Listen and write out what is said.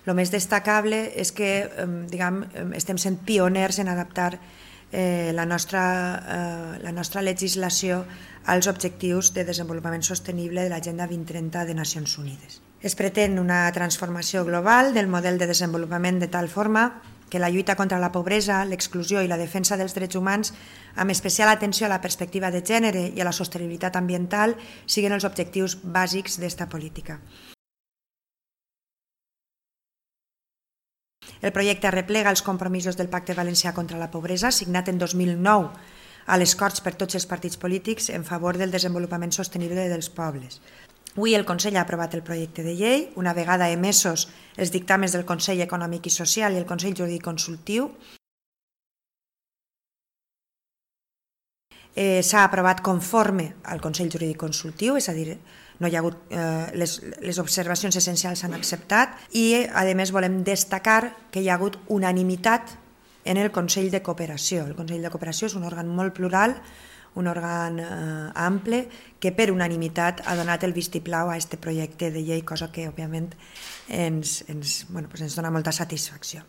El més destacable és que estem sent pioners en adaptar la nostra legislació als objectius de desenvolupament sostenible de l'Agenda 2030 de Nacions Unides. Es pretén una transformació global del model de desenvolupament de tal forma que la lluita contra la pobresa, l'exclusió i la defensa dels drets humans, amb especial atenció a la perspectiva de gènere i a la sostenibilitat ambiental, siguin els objectius bàsics d'esta política. El projecte arreplega els compromisos del Pacte Valencià contra la Pobresa, signat en 2009 a les Corts per tots els partits polítics en favor del desenvolupament sostenible dels pobles. Avui el Consell ha aprovat el projecte de llei, una vegada emesos els dictàmens del Consell Econòmic i Social i el Consell Jurídic Consultiu. S'ha aprovat conforme al Consell Jurídic Consultiu, és a dir, no hi ha hagut, les observacions essencials s'han acceptat i, a més, volem destacar que hi ha hagut unanimitat en el Consell de Cooperació. El Consell de Cooperació és un òrgan molt plural, un òrgan ample, que per unanimitat ha donat el vistiplau a aquest projecte de llei, cosa que, òbviament, ens dona molta satisfacció.